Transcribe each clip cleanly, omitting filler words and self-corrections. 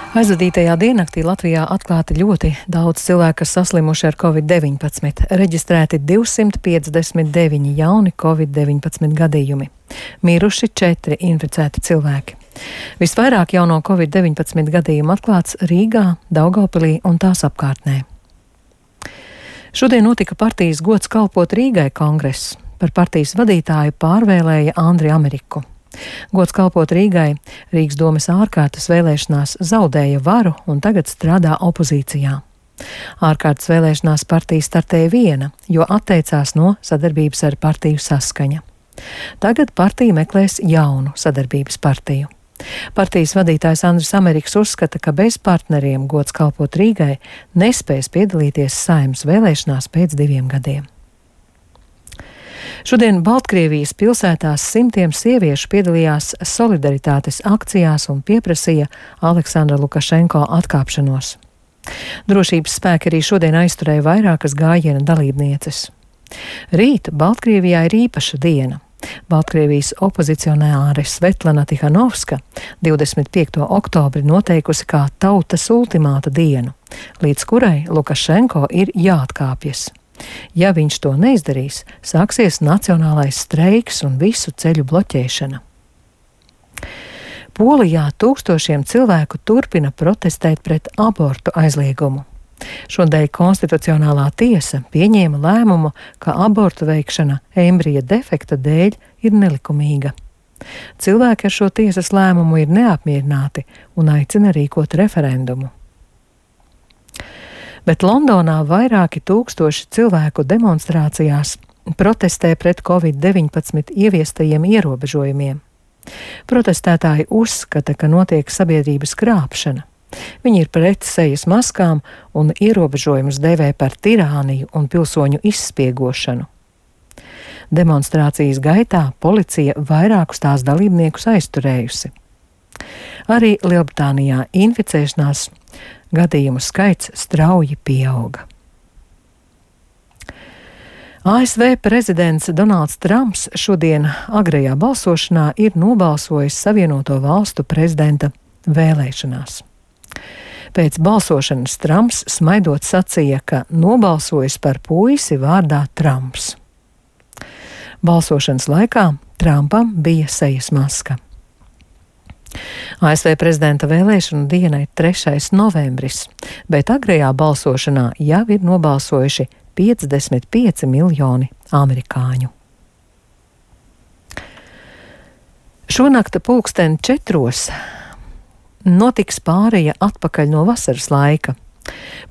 Aizvadītajā diennaktī Latvijā atklāti ļoti daudz cilvēku, kas saslimuši ar Covid-19. Reģistrēti 259 jauni Covid-19 gadījumi. Miruši 4 inficēti cilvēki. Visvairāk jauno Covid-19 gadījumu atklāts Rīgā, Daugavpilī un tās apkārtnē. Šodien notika partijas Gods kalpot Rīgai kongress. Par partijas vadītāju pārvēlēja Andri Ameriku. Gods kalpot Rīgai Rīgas domes ārkārtas vēlēšanās zaudēja varu un tagad strādā opozīcijā. Ārkārtas vēlēšanās partija startēja viena, jo atteicās no sadarbības ar partiju Saskaņa. Tagad partija meklēs jaunu sadarbības partiju. Partijas vadītājs Andris Ameriks uzskata, ka bez partneriem Gods kalpot Rīgai nespēs piedalīties Saeimas vēlēšanās pēc 2 gadiem. Šodien Baltkrievijas pilsētās simtiem sieviešu piedalījās solidaritātes akcijās un pieprasīja Aleksandra Lukašenko atkāpšanos. Drošības spēki arī šodien aizturēja vairākas gājiena dalībnieces. Rīt Baltkrievijā ir īpaša diena. Baltkrievijas opozicionāre Svetlana Tihanovska 25. oktobri noteikusi kā tautas ultimāta dienu, līdz kurai Lukašenko ir jāatkāpjas. Ja viņš to neizdarīs, sāksies nacionālais streiks un visu ceļu bloķēšana. Polijā tūkstošiem cilvēku turpina protestēt pret abortu aizliegumu. Šodien Konstitucionālā tiesa pieņēma lēmumu, ka abortu veikšana embrija defekta dēļ ir nelikumīga. Cilvēki ar šo tiesas lēmumu ir neapmierināti un aicina rīkot referendumu. Bet Londonā vairāki tūkstoši cilvēku demonstrācijās protestē pret Covid-19 ieviestajiem ierobežojumiem. Protestētāji uzskata, ka notiek sabiedrības krāpšana. Viņi ir pret sejas maskām un ierobežojumus dēvē par tirāniju un pilsoņu izspiegošanu. Demonstrācijas gaitā policija vairākus tās dalībniekus aizturējusi. Arī Lielbritānijā inficēšanās gadījumu skaits strauji pieauga. ASV prezidents Donalds Trumps šodien agrajā balsošanā ir nobalsojis Savienoto Valstu prezidenta vēlēšanās. Pēc balsošanas Trumps smaidot sacīja, ka nobalsojis par puisi vārdā Trumps. Balsošanas laikā Trumpam bija sejas maska. ASV prezidenta vēlēšanu diena ir 3. novembris, bet agrajā balsošanā jau ir nobalsojuši 55 miljoni amerikāņu. Šonakt 4:00 notiks pāreja atpakaļ no vasaras laika.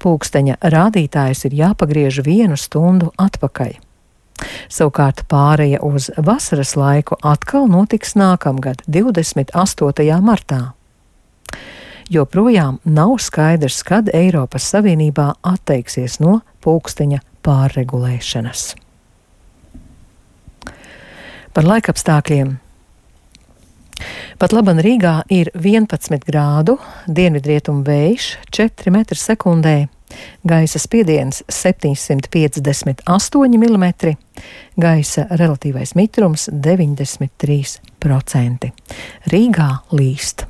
Pulksteņa rādītājs ir jāpagriež 1 stundu atpakaļ. Savukārt pāreja uz vasaras laiku atkal notiks nākamgad, 28. martā. Joprojām nav skaidrs, kad Eiropas Savienībā atteiksies no pulksteņa pārregulēšanas. Par laikapstākļiem. Pat laban Rīgā ir 11 grādu, dienvidrietumu vējš 4 m/sekundē, gaisa spiediens 758 mm, gaisa relatīvais mitrums 93%. Rīgā līst.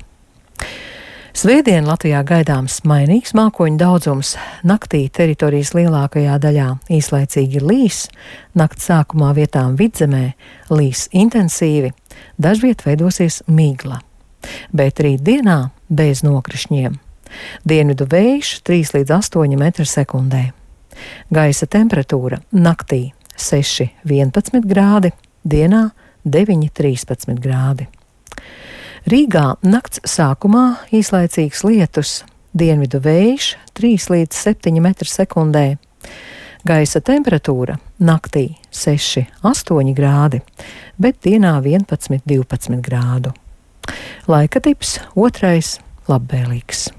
Svētdien Latvijā gaidāms mainīgs mākoņu daudzums. Naktī teritorijas lielākajā daļā īslaicīgi līs, nakts sākumā vietām vidzemē līs intensīvi, dažviet veidosies migla. Bet rītdienā bez nokrišņiem. Dienvidu vējš 3 līdz 8 m/sekundē. Gaisa temperatūra naktī 6–11 grādi, dienā 9–13 grādi. Rīgā nakts sākumā īslaicīgs lietus, dienvidu vējš 3 līdz 7 m/sekundē. Gaisa temperatūra naktī 6–8 grādi, bet dienā 11–12 grādu. Laika tips 2. labvēlīgs.